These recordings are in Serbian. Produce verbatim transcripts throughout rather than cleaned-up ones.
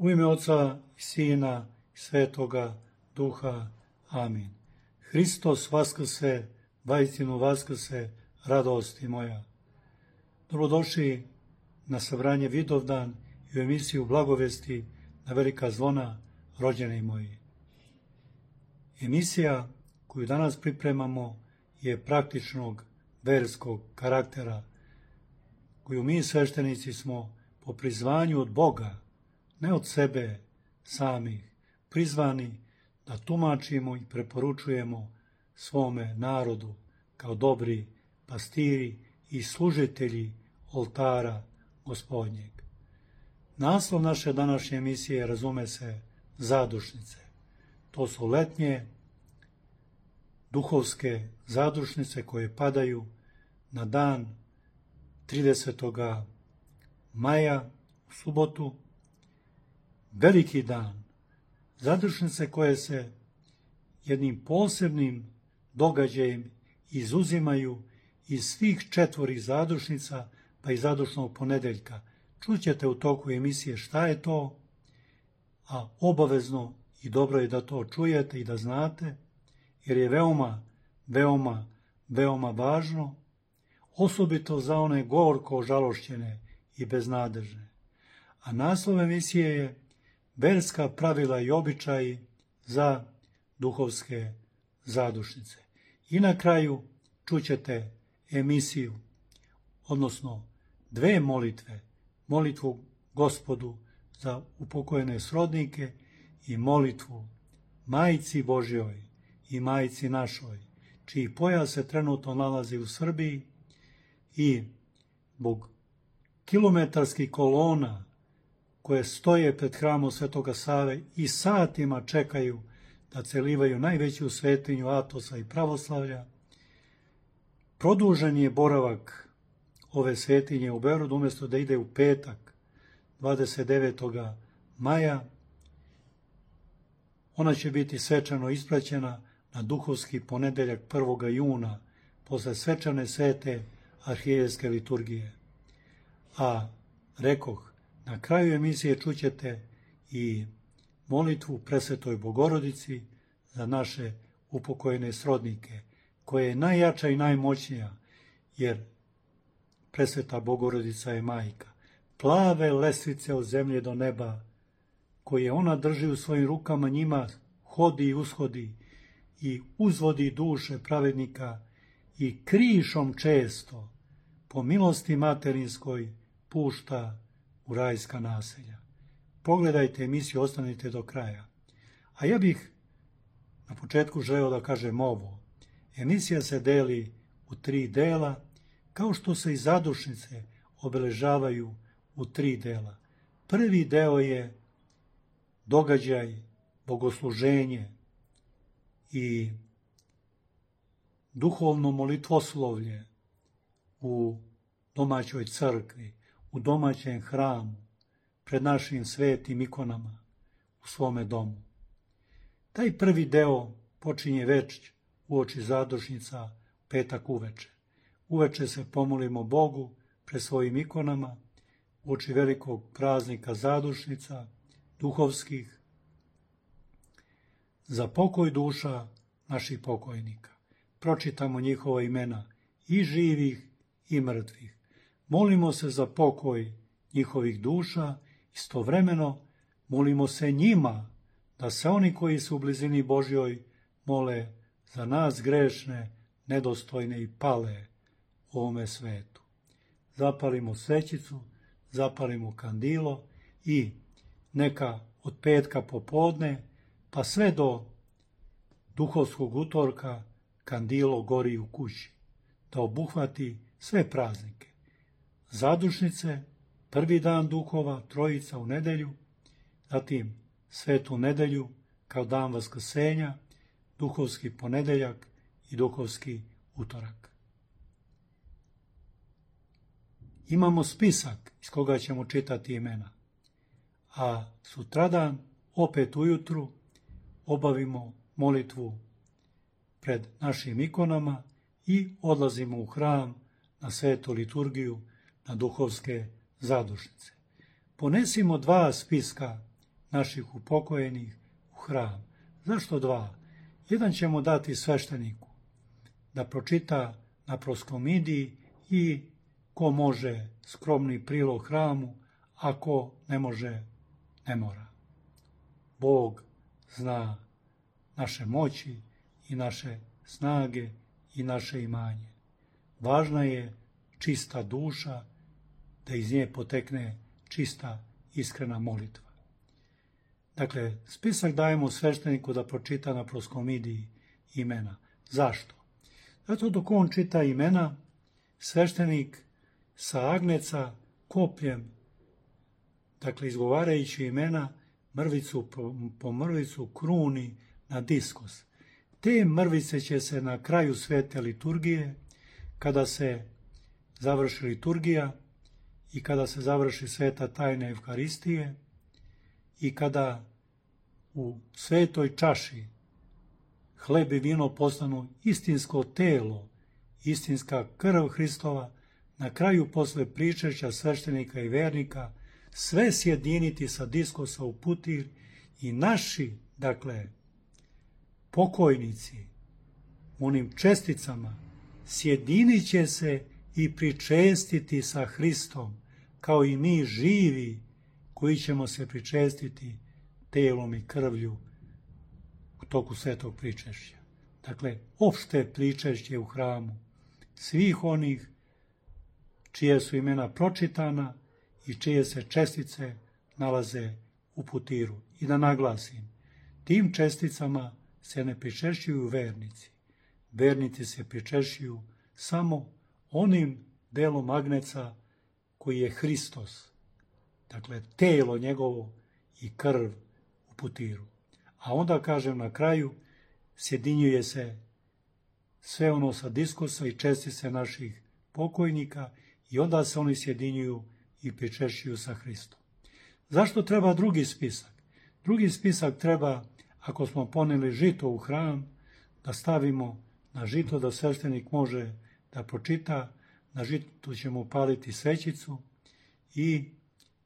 U ime Oca i Sina i Svetoga Duha. Amin. Hristos vaskrse, vaistinu vaskrse, radosti moja. Dobrodošli na sabranje Vidovdan i u emisiju Blagovesti na velika zvona, rođeni moji. Emisija koju danas pripremamo je praktičnog verskog karaktera, koju mi sveštenici smo po prizvanju od Boga, ne od sebe samih, prizvani da tumačimo i preporučujemo svome narodu kao dobri pastiri i služitelji oltara Gospodnjeg. Naslov naše današnje emisije razume se zadušnice. To su letnje duhovske zadušnice koje padaju na dan tridesetog maja u subotu, veliki dan. Zadušnice koje se jednim posebnim događajem izuzimaju iz svih četvorih zadušnica, pa i zadušnog ponedeljka. Čućete u toku emisije šta je to, a obavezno i dobro je da to čujete i da znate, jer je veoma, veoma, veoma važno, osobito za one gorko žalošćene i beznadežne. A naslov emisije je verska pravila i običaji za duhovske zadušnice. I na kraju čućete emisiju, odnosno dve molitve, molitvu Gospodu za upokojene srodnike i molitvu Majci Božjoj i Majci našoj, čiji pojas se trenutno nalazi u Srbiji i zbog kilometarskih kolona koje stoje pred hramom Svetoga Save i satima čekaju da celivaju najveću svetinju Atosa i pravoslavlja, produžen je boravak ove svetinje u Beogradu, umjesto da ide u petak, dvadeset devetog maja, ona će biti svečano ispraćena na duhovski ponedeljak prvog juna, posle svečane svete arhijerejske liturgije. A, rekoh, na kraju emisije čućete i molitvu Presvetoj Bogorodici za naše upokojene srodnike, koja je najjača i najmoćnija, jer Presveta Bogorodica je majka. Plave lestvice od zemlje do neba, koje ona drži u svojim rukama, njima hodi i ushodi i uzvodi duše pravednika i krišom često, po milosti materinskoj, pušta u rajska naselja. Pogledajte emisiju, ostanite do kraja. A ja bih na početku želeo da kažem ovo. Emisija se deli u tri dela, kao što se i zadušnice obeležavaju u tri dela. Prvi deo je događaj, bogosluženje i duhovno molitvoslovlje u domaćoj crkvi, u domaćem hramu, pred našim svetim ikonama, u svome domu. Taj prvi deo počinje već uoči zadušnica petak uveče. Uveče se pomolimo Bogu pred svojim ikonama, uoči velikog praznika zadušnica, duhovskih, za pokoj duša naših pokojnika. Pročitamo njihova imena, i živih i mrtvih. Molimo se za pokoj njihovih duša, istovremeno molimo se njima da se oni koji su u blizini Božjoj mole za nas grešne, nedostojne i pale u ovome svetu. Zapalimo svećicu, zapalimo kandilo i neka od petka popodne pa sve do duhovskog utorka kandilo gori u kući, da obuhvati sve praznike. Zadušnice, prvi dan duhova, trojica u nedelju, zatim svetu nedelju kao dan vaskrsenja, duhovski ponedeljak i duhovski utorak. Imamo spisak iz koga ćemo čitati imena, a sutradan opet ujutru obavimo molitvu pred našim ikonama i odlazimo u hram na svetu liturgiju, na duhovske zadušnice. Ponesimo dva spiska naših upokojenih u hram. Zašto dva? Jedan ćemo dati svešteniku da pročita na proskomidiji i ko može skromni prilog hramu, a ko ne može, ne mora. Bog zna naše moći i naše snage i naše imanje. Važna je čista duša, da iz nje potekne čista, iskrena molitva. Dakle, spisak dajemo svešteniku da pročita na proskomidiji imena. Zašto? Zato dok on čita imena, sveštenik sa agneca kopljem, dakle izgovarajući imena, mrvicu po, po mrvicu kruni na diskos. Te mrvice će se na kraju svete liturgije, kada se završi liturgija i kada se završi sveta tajna Evharistije i kada u svetoj čaši hleb i vino postanu istinsko telo, istinska krv Hristova, na kraju posle pričešća sveštenika i vernika sve sjediniti sa diskosa u putir i naši, dakle, pokojnici, onim česticama, sjedinit će se i pričestiti sa Hristom, kao i mi živi koji ćemo se pričestiti telom i krvlju u toku svetog pričešća. Dakle, opšte pričešće u hramu svih onih čije su imena pročitana i čije se čestice nalaze u putiru. I da naglasim, tim česticama se ne pričešćuju vernici. Vernici se pričešćuju samo onim delom agneca koji je Hristos, dakle telo njegovo i krv u putiru. A onda, kažem, na kraju sjedinjuje se sve ono sa diskosa i čestice naših pokojnika i onda se oni sjedinjuju i pričešćuju sa Hristom. Zašto treba drugi spisak? Drugi spisak treba, ako smo poneli žito u hram, da stavimo na žito da sveštenik može da pročita, na žitu ćemo upaliti svećicu i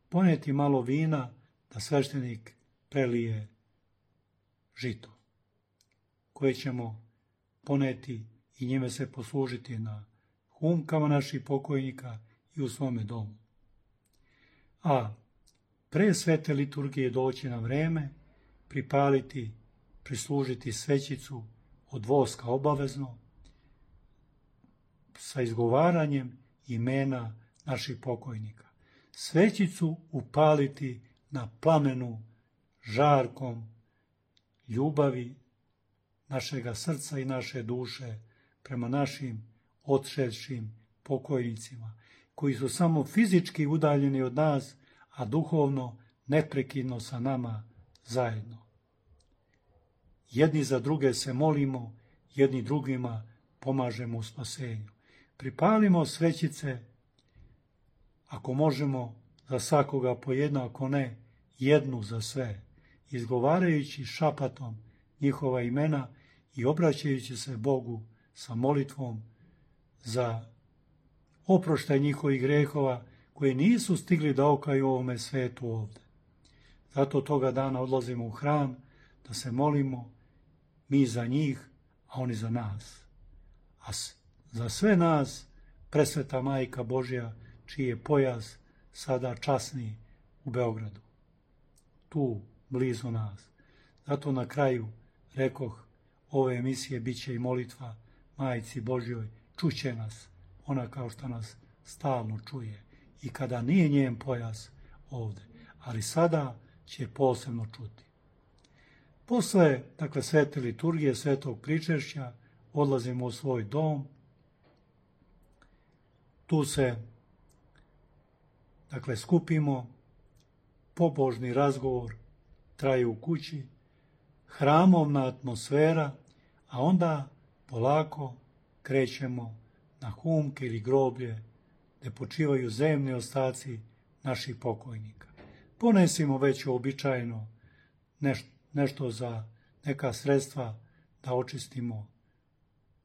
poneti malo vina da sveštenik prelije žito, koje ćemo poneti i njime se poslužiti na humkama naših pokojnika i u svome domu. A pre svete liturgije doći na vreme, pripaliti, prislužiti svećicu od voska obavezno, sa izgovaranjem imena naših pokojnika. Svećicu upaliti na plamenu žarkom ljubavi našega srca i naše duše prema našim odšedšim pokojnicima, koji su samo fizički udaljeni od nas, a duhovno neprekidno sa nama zajedno. Jedni za druge se molimo, jedni drugima pomažemo u spasenju. Pripalimo svećice, ako možemo, za svakoga po jednu, ako ne, jednu za sve, izgovarajući šapatom njihova imena i obraćajući se Bogu sa molitvom za oproštaj njihovih grehova koji nisu stigli da okaju ovome svetu ovde. Zato toga dana odlazimo u hram da se molimo, mi za njih, a oni za nas. A za sve nas presveta Majka Božja, čiji je pojas sada časni u Beogradu. Tu, blizu nas. Zato na kraju rekoh, ove emisije bit će i molitva Majci Božjoj, čuće nas, ona kao što nas stalno čuje i kada nije njen pojas ovde, ali sada će posebno čuti. Posle, dakle, svete liturgije, svetog pričešća, odlazimo u svoj dom. Tu se, dakle, skupimo, pobožni razgovor traje u kući, hramovna atmosfera, a onda polako krećemo na humke ili groblje gde počivaju zemni ostaci naših pokojnika. Ponesimo već uobičajeno nešto, nešto za neka sredstva da očistimo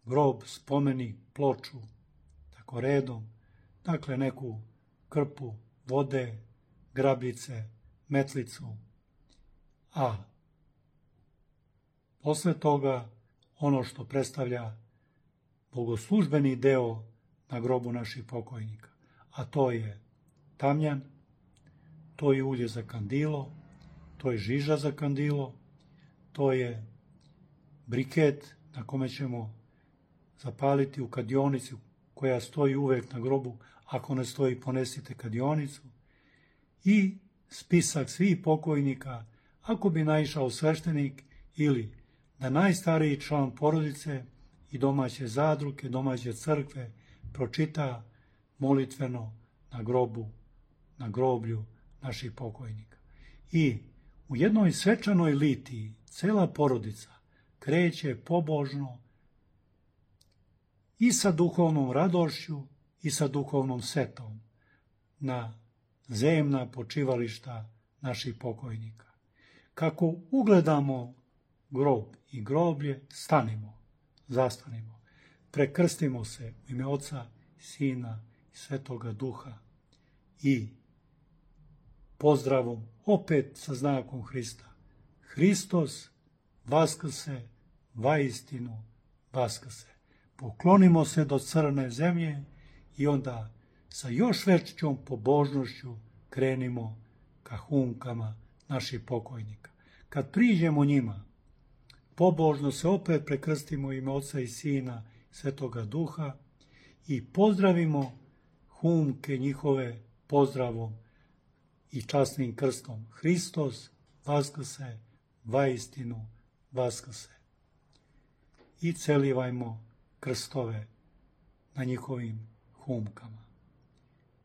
grob, spomenik, ploču, tako redom, dakle neku krpu vode, grabljice, metlicu a posle toga ono što predstavlja bogoslužbeni deo na grobu naših pokojnika, a to je tamjan, to je ulje za kandilo, to je žiža za kandilo, to je briket na kome ćemo zapaliti u kadionici koja stoji uvek na grobu, ako ne stoji ponesite kadionicu, i spisak svih pokojnika, ako bi naišao sveštenik ili da najstariji član porodice i domaće zadruge, domaće crkve pročita molitveno na grobu, na groblju naših pokojnika. I u jednoj svečanoj litiji cela porodica kreće pobožno i sa duhovnom radošću i sa duhovnom setom na zemna počivališta naših pokojnika. Kako ugledamo grob i groblje, stanimo, zastanimo, prekrstimo se u ime Oca, Sina i Svetoga Duha i pozdravom opet sa znakom Hrista. Hristos vaskrse, vaistinu vaskrse. Poklonimo se do crne zemlje i onda sa još većom pobožnošću krenimo ka humkama naših pokojnika. Kad priđemo njima, pobožno se opet prekrstimo u ime Oca i Sina i Svetoga Duha i pozdravimo humke njihove pozdravom i časnim krstom. Hristos vaskrse, vaistinu vaskrse. I celivajmo krstove na njihovim humkama.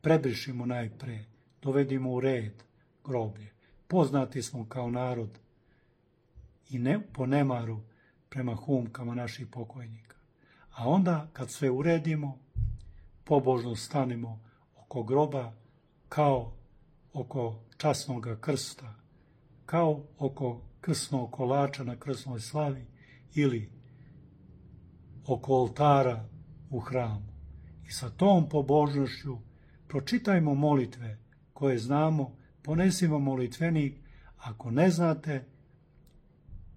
Prebrišimo najpre, dovedimo u red groblje. Poznati smo kao narod i ne, po nemaru prema humkama naših pokojnika. A onda, kad sve uredimo, pobožno stanimo oko groba kao oko časnog krsta, kao oko krsnog kolača na krsnoj slavi ili oko oltara u hramu. I sa tom pobožnošću pročitajmo molitve koje znamo, ponesimo molitvenik. Ako ne znate,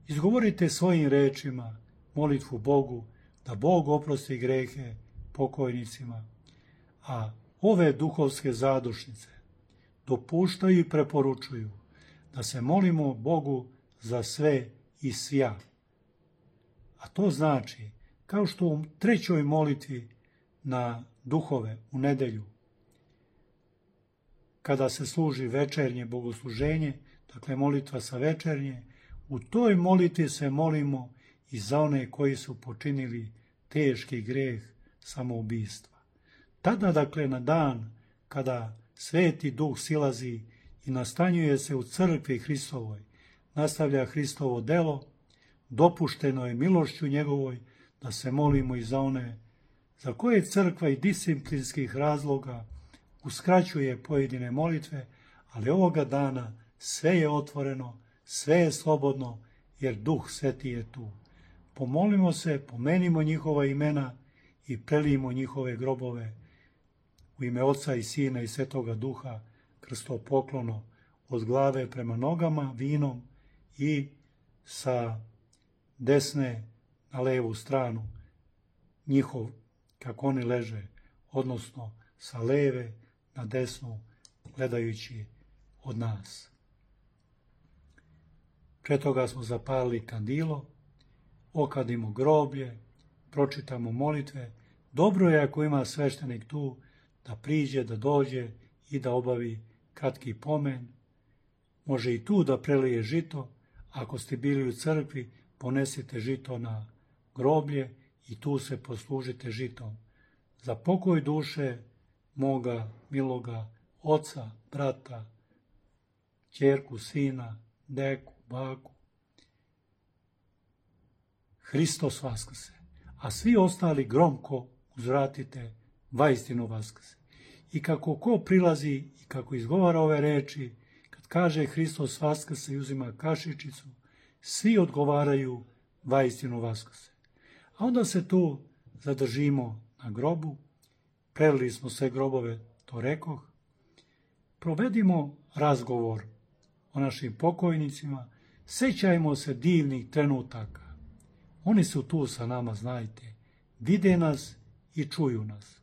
izgovorite svojim rečima molitvu Bogu, da Bog oprosti grehe pokojnicima. A ove duhovske zadušnice dopuštaju i preporučuju da se molimo Bogu za sve i svja. A to znači, kao što u trećoj molitvi na duhove u nedelju, kada se služi večernje bogosluženje, dakle molitva sa večernje, u toj molitvi se molimo i za one koji su počinili teški greh samoubistva. Tada, dakle, na dan kada Sveti Duh silazi i nastanjuje se u crkvi Hristovoj, nastavlja Hristovo delo, dopušteno je milošću njegovoj da se molimo i za one za koje crkva i disciplinskih razloga uskraćuje pojedine molitve, ali ovoga dana sve je otvoreno, sve je slobodno, jer Duh Sveti je tu. Pomolimo se, pomenimo njihova imena i prelijmo njihove grobove u ime Oca i Sina i Svetoga Duha, krstopoklono od glave prema nogama vinom i sa desne na levu stranu njihov, kako oni leže, odnosno sa leve na desnu, gledajući od nas. Pre toga smo zapalili kandilo, okadimo groblje, pročitamo molitve. Dobro je ako ima sveštenik tu da priđe, da dođe i da obavi kratki pomen. Može i tu da prelije žito. Ako ste bili u crkvi, ponesite žito na groblje i tu se poslužite žitom. Za pokoj duše moga miloga oca, brata, ćerku, sina, deku, baku. Hristos vaskrse. A svi ostali gromko uzvratite, vaistinu vaskrse. I kako ko prilazi i kako izgovara ove reči, kad kaže Hristos vaskrse i uzima kašičicu, svi odgovaraju vaistinu vaskrse. A onda se tu zadržimo na grobu, prelili smo sve grobove, to rekoh, provedimo razgovor o našim pokojnicima, Sjećajmo se divnih trenutaka. Oni su tu sa nama, znajte. Vide nas i čuju nas.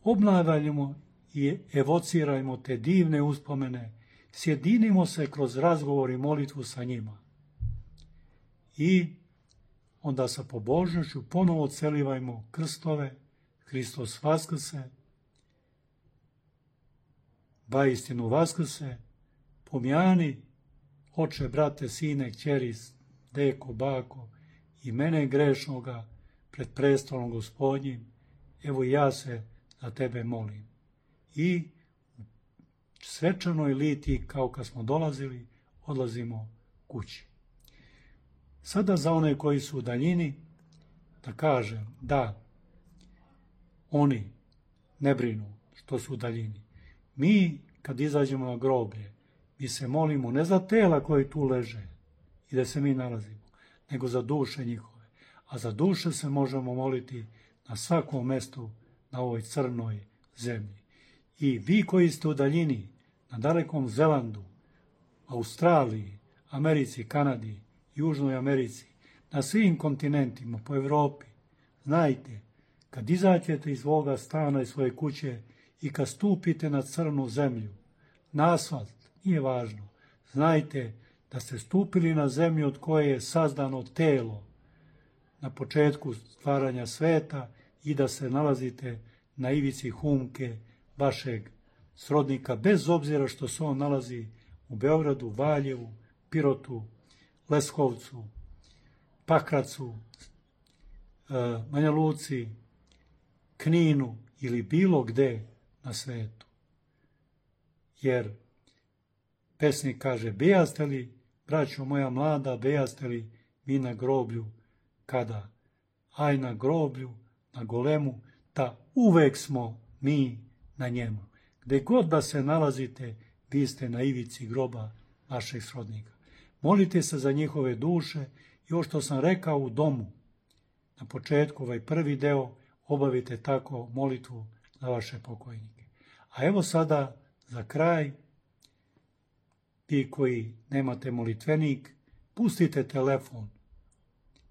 Obnavljamo i evocirajmo te divne uspomene. Sjedinimo se kroz razgovor i molitvu sa njima. I onda sa pobožnošću ponovo celivajmo krstove, Hristos vaskrse, vaistinu vaskrse, pomjani, oče, brate, sine, kćeri, deko, bako, i mene grešnoga pred prestolom Gospodnjim, evo ja se za tebe molim. I u svečanoj litiji, kao kad smo dolazili, odlazimo kući. Sada za one koji su u daljini, da kažem da oni ne brinu što su u daljini. Mi, kad izađemo na groblje, mi se molimo ne za tela koji tu leže i da se mi nalazimo, nego za duše njihove. A za duše se možemo moliti na svakom mestu na ovoj crnoj zemlji. I vi koji ste u daljini, na dalekom Zelandu, Australiji, Americi, Kanadi, Južnoj Americi, na svim kontinentima, po Evropi, znajte, kad izađete iz svoga stana i svoje kuće i kad stupite na crnu zemlju, na asfalt, nije važno, znajte da ste stupili na zemlju od koje je sazdano telo na početku stvaranja sveta i da se nalazite na ivici humke vašeg srodnika, bez obzira što se on nalazi u Beogradu, Valjevu, Pirotu, Leskovcu, Pakracu, Banja Luci, Kninu ili bilo gde na svetu. Jer pesnik kaže, bejaste li, braćo moja mlada, bejaste li vi na groblju kada? Aj na groblju, na golemu, ta uvek smo mi na njemu. Gde god da se nalazite, vi ste na ivici groba vašeg srodnika. Molite se za njihove duše i ovo što sam rekao u domu, na početku, ovaj prvi deo, obavite tako molitvu za vaše pokojnike. A evo sada, za kraj, vi koji nemate molitvenik, pustite telefon,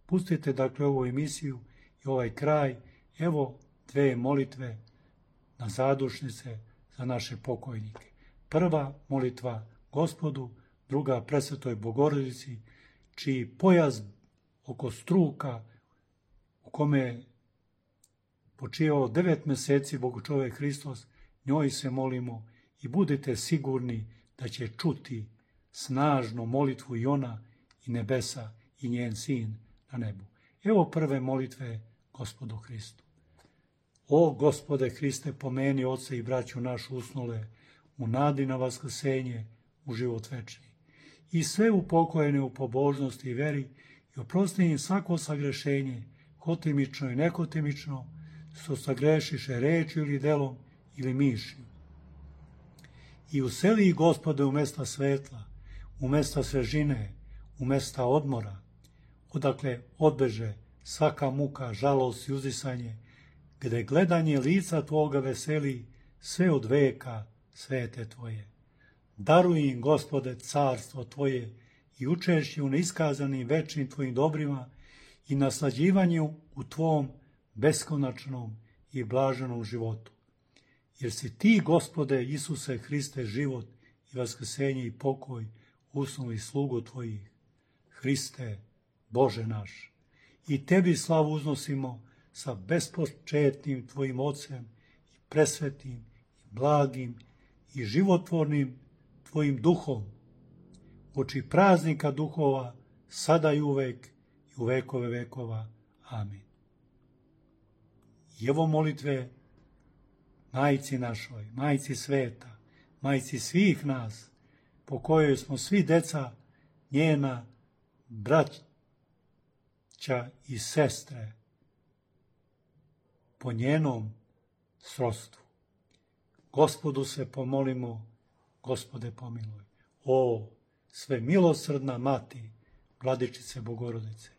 pustite dakle ovu emisiju i ovaj kraj, evo dve molitve na zadušnice za naše pokojnike. Prva molitva Gospodu, druga Presvetoj Bogorodici, čiji pojas oko struka u kome je počivao devet meseci Bogočovek Hristos, njoj se molimo i budite sigurni da će čuti snažnu molitvu i ona i nebesa i njen sin na nebu. Evo prve molitve Gospodu Hristu. O Gospode Hriste, pomeni oce i braću našu usnule u nadi na vaskrsenje, u život večni. I sve upokojene u pobožnosti i veri i oprosti im svako sagrešenje, hotimično i nekotimično, što sagrešiše rečju ili delom ili mišlju. I useli ih, Gospode, u mesta svetla, u mesta svežine, u mesta odmora, odakle odbeže svaka muka, žalost i uzdisanje, gde gledanje lica Tvoga veseli sve od veka svete Tvoje. Daruj im, Gospode, carstvo Tvoje i učešće u neiskazanim večnim Tvojim dobrima i naslađivanju u Tvom beskonačnom i blaženom životu. Jer si Ti, Gospode Isuse Hriste, život i vaskrsenje i pokoj usnuli slugu Tvojih. Hriste, Bože naš, i Tebi slavu uznosimo sa bespočetnim Tvojim Ocem i presvetim i blagim i životvornim Tvojim duhom, oči praznika duhova, sada i uvek i u vekove vekova. Amin. I evo molitve Majci našoj, Majci sveta, Majci svih nas, po kojoj smo svi deca njena, braća i sestre, po njenom srodstvu. Gospodu se pomolimo, Gospode pomiluj. O, sve milosrdna Mati, Vladičice Bogorodice,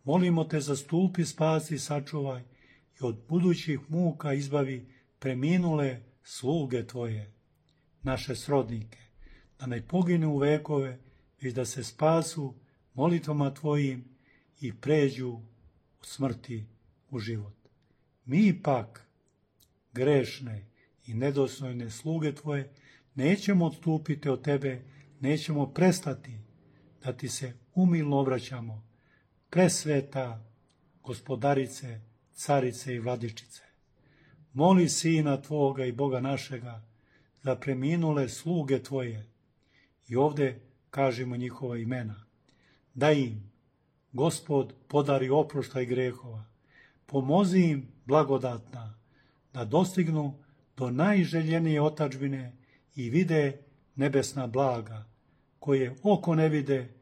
molimo Te, zastupi, spasi i sačuvaj i od budućih muka izbavi preminule sluge Tvoje, naše srodnike, da ne pogine u vekove, već da se spasu molitvama Tvojim i pređu od smrti u život. Mi pak, grešne i nedostojne sluge Tvoje, nećemo odstupiti od Tebe, nećemo prestati da Ti se umilno obraćamo, presveta Gospodarice, Carice i Vladičice. Moli Sina Tvoga i Boga našega za preminule sluge Tvoje, i ovdje kažemo njihova imena, da im Gospod podari oproštaj grehova, pomozi im blagodatna, da dostignu do najželjenije otadžbine i vide nebesna blaga, koje oko ne vide,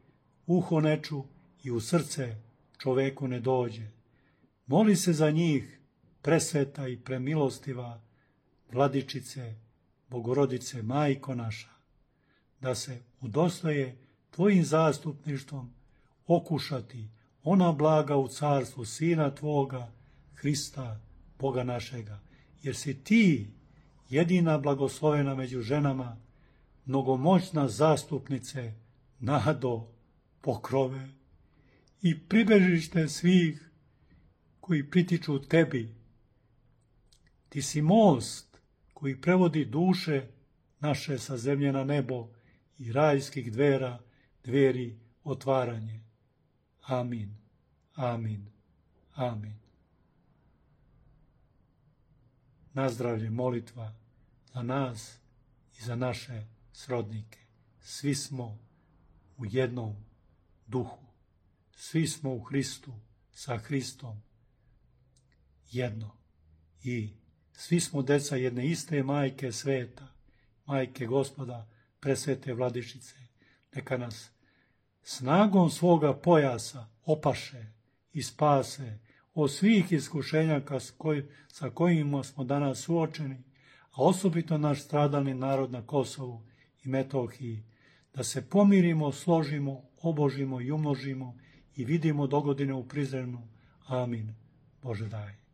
uho ne ču i u srce čoveku ne dođe. Moli se za njih, presveta i premilostiva Vladičice, Bogorodice, Majko naša, da se udostoje Tvojim zastupništvom okušati ona blaga u carstvu Sina Tvoga, Hrista, Boga našega, jer si Ti jedina blagoslovena među ženama, mnogomoćna zastupnice, nado, pokrove i pribežište svih koji pritiču Tebi. Ti si most koji prevodi duše naše sa zemlje na nebo i rajskih dvera, dveri otvaranje. Amin, amin, amin. Nazdravlje molitva za nas i za naše srodnike. Svi smo u jednom duhu. Svi smo u Hristu, sa Hristom jedno. I svi smo deca jedne iste majke sveta, majke Gospoda, presvete Vladičice. Neka nas snagom svoga pojasa opaše i spase od svih iskušenja sa kojima smo danas suočeni, a osobito naš stradalni narod na Kosovu i Metohiji, da se pomirimo, složimo, obožimo i umnožimo i vidimo dogodine u Prizrenu. Amin. Bože daj.